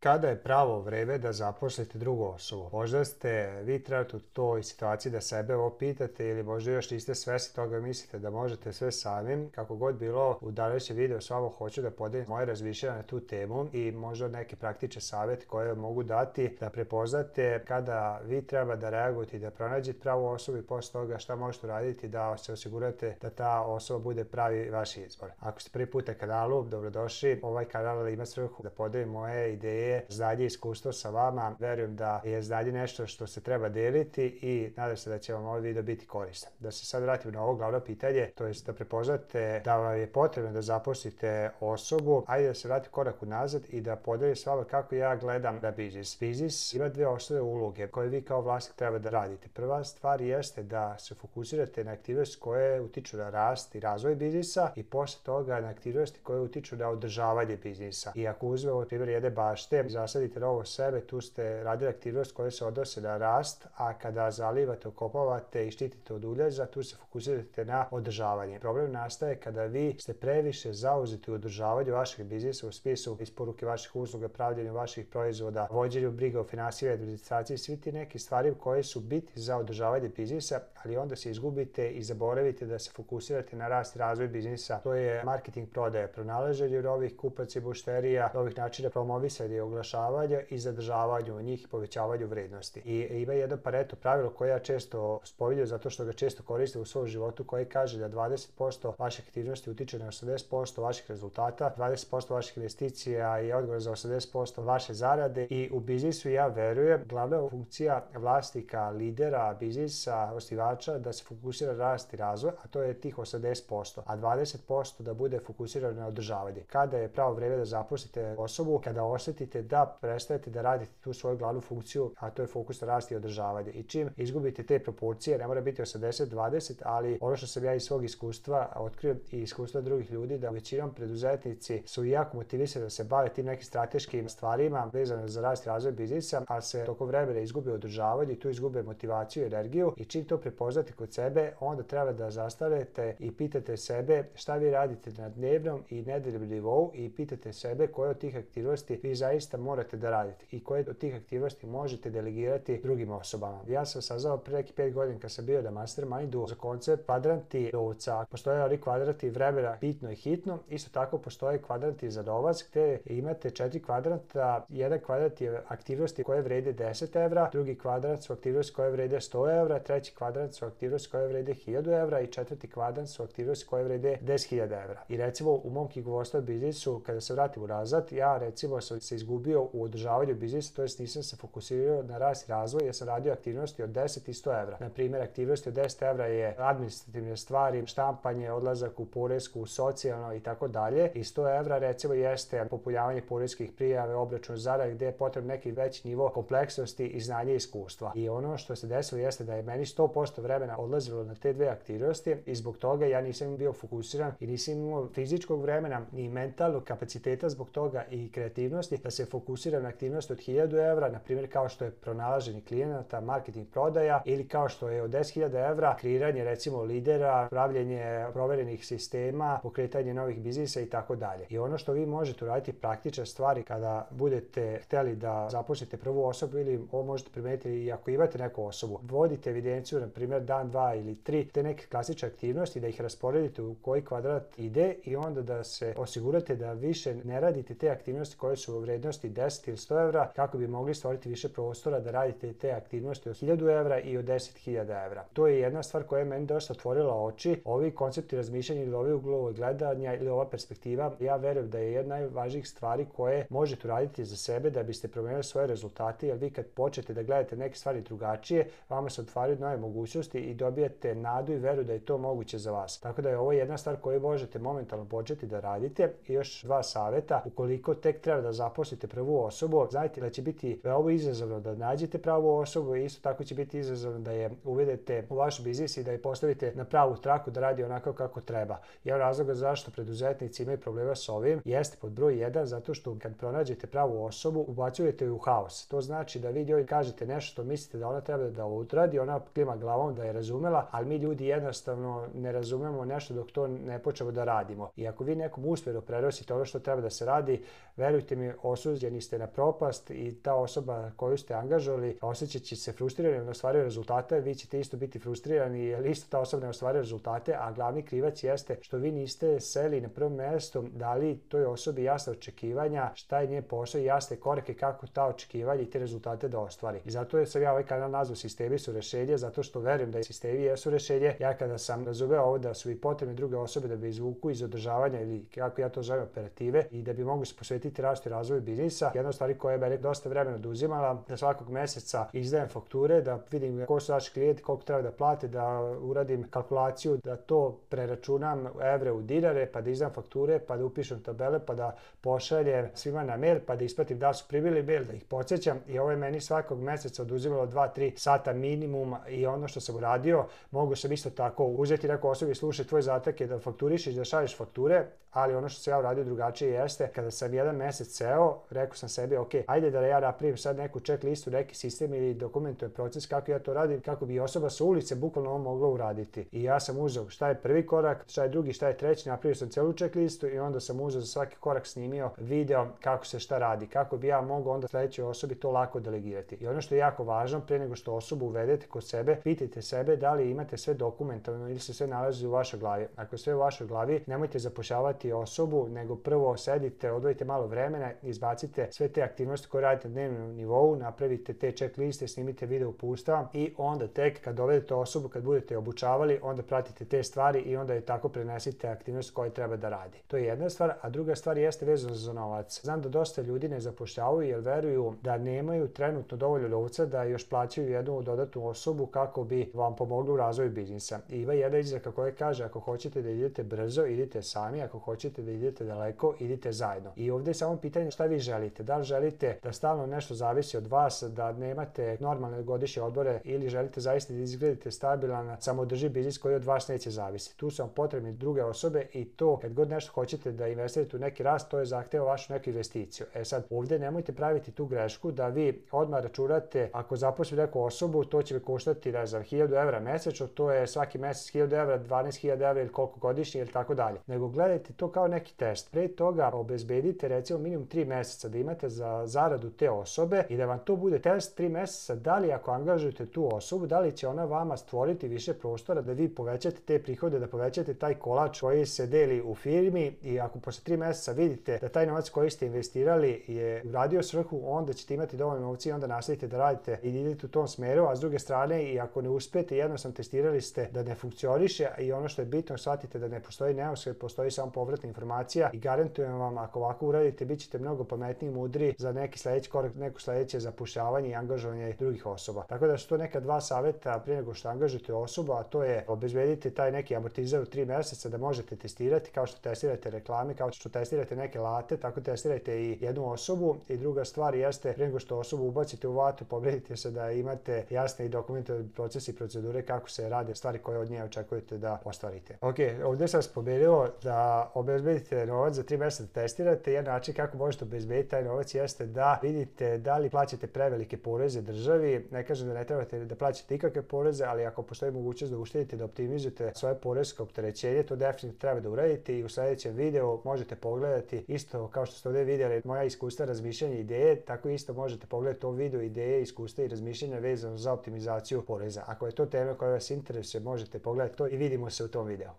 Kada je pravo vreme da zaposlite drugu osobu? Možda ste vi trenutno u toj situaciji da sebe ovo pitate ili možda još niste svesni toga, mislite da možete sve samim. Kako god bilo, u današnjem videu s vama hoću da podelim moje razmišljanja na tu temu i možda neke praktične savjete koje vam mogu dati da prepoznate kada vi treba da reagujete i da pronađete pravu osobu i posle toga šta možete uraditi da se osigurate da ta osoba bude pravi vaš izbor. Ako ste prvi put na kanalu, dobrodošli. Ovaj kanal ima svrhu da podelim moje ideje, znanje i iskustvo sa vama. Verujem da je znanje nešto što se treba deliti i nadam se da će vam ovaj video biti koristan. Da se sad vratim na ovo glavno pitanje, to je da prepoznate da vam je potrebno da zaposlite osobu. Ajde da se vratim korak unazad i da podelim s vama kako ja gledam na biznis. Biznis ima dve osnovne uloge koje vi kao vlasnik treba da radite. Prva stvar jeste da se fokusirate na aktivnosti koje utiču na rast i razvoj biznisa i posle toga na aktivnosti koje utiču na održavanje biznisa. I ako uzmemo primjer jedne bašte, zasadite novo sebe, tu ste radili aktivnost koje se odnose na rast, a kada zalivate, okopavate i štitite od uljeza, tu se fokusirate na održavanje. Problem nastaje kada vi ste previše zauzeti u održavanju vašeg biznisa u smislu isporuke vaših usluga, pravljenju vaših proizvoda, vođenju briga o finansijama, administraciji, svi ti neke stvari koje su bitni za održavanje biznisa, ali onda se izgubite i zaboravite da se fokusirate na rast i razvoj biznisa. To je marketing, prodaja, pronalaženje novih kupaca i mušterija, novih načina promovisanja i oglašavanja i zadržavanju njih i povećavanju vrednosti. I ima jedno Pareto pravilo koje ja često spominjem zato što ga često koristim u svom životu, koje kaže da 20% vaših aktivnosti utiče na 80% vaših rezultata, 20% vaših investicija je odgovor za 80% vaše zarade i u biznisu ja verujem glavna funkcija vlasnika, lidera, biznisa, osnivača da se fokusira na rast i razvoj, a to je tih 80%, a 20% da bude fokusirano na održavanje. Kada je pravo vreme da zaposlite osobu, kada osetite da prestajete da radite tu svoju glavnu funkciju, a to je fokus na rast i održavanje. I čim izgubite te proporcije, ne mora biti 80-20, ali ono što sam ja iz svog iskustva otkrio i iskustva drugih ljudi, da većinom preduzetnici su jako motivisani da se bave tim nekim strateškim stvarima vezano za rast i razvoj biznisa, ali se tokom vremena izgube održavanje i tu izgube motivaciju i energiju i čim to prepoznate kod sebe, onda treba da zastanete i pitate sebe šta vi radite na dnevnom i nedeljnom nivou i pitate sebe koje od tih aktivnosti vi zaista morate da radite i koje od tih aktivnosti možete delegirati drugim osobama. Ja sam saznao pre neki 5 godina kad sam bio na mastermindu za koncept kvadranti novca. Postoje oni kvadranti vremena bitno i hitno, isto tako postoje kvadranti za novac gde imate 4 kvadranta. Jedan kvadrant je aktivnosti koje vrede 10 evra, drugi kvadrant su aktivnosti koje vrede 100 evra, treći kvadrant su aktivnosti koje vrede 1000 evra i četvrti kvadrant su aktivnosti koje vrede 10.000 evra. I recimo u mom knjigovodstvenom biznisu, kada se vratim unazad, ja recimo sam se izgubio u održavanju biznisa, to jest nisam se fokusirao na rast i razvoj, jer sam radio aktivnosti od 10 i 100 evra. Na primjer, aktivnosti od 10 evra je administrativne stvari, štampanje, odlazak u poresku, socijalno i tako dalje. I 100 evra recimo jeste popunjavanje poreskih prijave, obračun zarade gdje je potrebno neki veći nivo kompleksnosti i znanja i iskustva. I ono što se desilo jeste da je meni 100% vremena odlazilo na te dve aktivnosti i zbog toga ja nisam bio fokusiran i nisam imao fizičkog vremena ni mentalnog kapaciteta zbog toga i kreativnosti da se fokusiram na aktivnost od 1000 evra, na primjer kao što je pronalaženje klijenata, marketing, prodaja ili kao što je od 10.000 evra kreiranje recimo lidera, pravljenje proverenih sistema, pokretanje novih biznisa i tako dalje. I ono što vi možete uraditi praktične stvari kada budete hteli da zaposlite prvu osobu ili ovo možete primetiti i ako imate neku osobu. Vodite evidenciju, na primjer dan, 2 ili 3 te neke klasične aktivnosti, da ih rasporedite u koji kvadrat ide i onda da se osigurate da više ne radite te aktivnosti koje su u vrednosti 10 ili 100 evra kako bi mogli stvoriti više prostora da radite te aktivnosti od 1000 evra i od 10.000 evra. To je jedna stvar koja je meni dosta otvorila oči. Ovi koncepti razmišljanja ili ovi uglovi gledanja ili ova perspektiva, ja verujem da je jedna najvažnijih stvari koje možete uraditi za sebe da biste promenili svoje rezultate, jer vi kad počnete da gledate neke stvari drugačije, vama se otvaraju nove mogućnosti i dobijete nadu i veru da je to moguće za vas. Tako da je ovo jedna stvar koju možete momentalno početi da radite. I još dva saveta, ukoliko tek treba da zaposlite prvu osobu, znajte da će biti veoma izazovno da nađete pravu osobu i isto tako će biti izazovno da je uvedete u vaš biznis i da je postavite na pravu traku da radi onako kako treba. Jedan razlog zašto preduzetnici imaju problema s ovim jeste pod broj 1 zato što kad pronađete pravu osobu ubacujete ju u haos. To znači da vi njoj kažete nešto što mislite da ona treba da odradi, ona klima glavom da je razumela, ali mi ljudi jednostavno ne razumemo nešto dok to ne počnemo da radimo. I ako vi nekom usmjerno prenosite ono što treba da se radi, verujte mi, osuđeni ste na propast i ta osoba koju ste angažovali osjećat će se frustrirani, ne ostvaruje rezultate, vi ćete isto biti frustrirani jer isto ta osoba ne ostvaruje rezultate, a glavni krivac jeste što vi niste seli na prvom mjestu, dali toj osobi jasne očekivanja, šta je njen posao i jasne korake kako ta očekivanja i te rezultate da ostvari. I zato sam ja ovaj kanal nazvao Sistemi su rešenje, zato što verujem da sistemi jesu rešenje. Ja kada sam razumeo ovo da su i potrebne druge osobe da bi izvuku iz održavanja ili kako ja to zovem operative i da bi mogu se posvetiti rastu i razvoju biznisa, jedna od stvari koja je mene dosta vremena oduzimala, da svakog meseca izdajem fakture, da vidim ko su naši klijenti, koliko treba da plate, da uradim kalkulaciju, da to preračunam evre u dinare, pa da izdam fakture, pa da upišem tabele, pa da pošaljem svima na mail, pa da ispratim da su primili mail, da ih podsjećam i ovo je meni svakog meseca oduzimalo 2-3 sata minimum i ono što sam uradio, mogu sam isto tako uzeti neku osobu i slušati tvoj zadatak je da fakturišeš, da šalješ fakture, ali ono što sam ja uradio drugačije jeste, kada sam jedan mesec seo, rekao sam sebi, ok, ajde da ja napravim sad neku check listu, neki sistem ili dokumentujem proces kako ja to radim, kako bi osoba sa ulice bukvalno ovo mogla uraditi. I ja sam uzeo šta je prvi korak, šta je drugi, šta je treći, napravio sam celu check listu i onda sam uzeo za svaki korak snimio video kako se šta radi, kako bi ja mogao onda sledećoj osobi to lako delegirati. I ono što je jako važno, pre nego što osobu uvedete kod sebe, pitajte sebe da li imate sve dokumentovano ili se sve nalazi u vašoj glavi. Ako je sve u vašoj glavi, nemojte zapošljavati osobu, nego prvo sedite, odvojite malo vremena, izbacite sve te aktivnosti koje radite na dnevnom nivou, napravite te check liste, snimite video uputstva i onda tek kad dovedete osobu, kad budete obučavali, onda pratite te stvari i onda je tako prenesite aktivnost koje treba da radi. To je jedna stvar, a druga stvar jeste vezano za novac. Znam da dosta ljudi ne zapošljavaju jer veruju da nemaju trenutno dovoljno novca da još plaćaju jednu dodatnu osobu kako bi vam pomogli u razvoju biznisa. I ima jedna izreka koja kaže ako hoćete da idete brzo, idite sami, ako hoćete da idete daleko, idite zajedno. I ovdje je samo pitanje šta vi želite. Da li želite da stalno nešto zavisi od vas, da nemate normalne godišnje odmore ili želite zaista da izgledate stabilan, samoodrživ biznis koji od vas neće zavisiti. Tu su vam potrebne druge osobe i to kad god nešto hoćete da investirate u neki rast, to je zahteva vašu neku investiciju. E sad, ovdje nemojte praviti tu grešku da vi odmah računate ako zaposlite neku osobu, to će mi koštati, ne znam, 1000 evra mesečno, to je svaki mesec 1000 evra, 12.000 evra ili koliko godišnje ili tako dalje. Nego gledajte to kao neki test. Pre toga obezbedite recimo minimum 3 meseca da imate za zaradu te osobe i da vam to bude test 3 meseca da li ako angažujete tu osobu, da li će ona vama stvoriti više prostora da vi povećate te prihode, da povećate taj kolač koji se deli u firmi i ako posle 3 meseca vidite da taj novac koji ste investirali je uradio svrhu, onda ćete imati dovoljno novca i onda nastavite da radite i idete u tom smeru, a s druge strane i ako ne uspete, jednostavno testirali ste da ne funkcioniše i ono što je bitno, shvatite da ne postoji neuspeh, postoji samo povratna informacija i garantujem vam ako ovako uradite, bit ćete mnogo pametniji i mudri za neki sledeći korak, neko sledeće zapošljavanje i angažovanje drugih osoba. Tako da su to neka dva saveta prije nego što angažujete osobu, a to je obezbedite taj neki amortizer u 3 meseca da možete testirati, kao što testirate reklame, kao što testirate neke alate, tako testirajte i jednu osobu. I druga stvar jeste, prije nego što osobu ubacite u vatu, pobedite se da imate jasne i dokumentovane procese i procedure kako se rade stvari koje od nje očekujete da ostvarite. Ok, ovdje sam spomenuo da obezbedite novac za 3 meseca da testirate. Jedan način kako možete obezbediti taj novac jeste da vidite da li plaćate prevelike poreze državi. Ne kažem da ne trebate da plaćate ikakve poreze, ali ako postoji mogućnost da uštedite, da optimizujete svoje poresko opterećenje, to definitivno treba da uradite i u sljedećem videu možete pogledati isto kao što ste ovdje vidjeli moja iskustva, razmišljanja, ideje, tako isto možete pogledati ovo video ideje, iskustva i razmišljanja vezano za optimizaciju poreza. Ako je to tema koja vas interesuje, možete pogledati to i vidimo se u tom videu.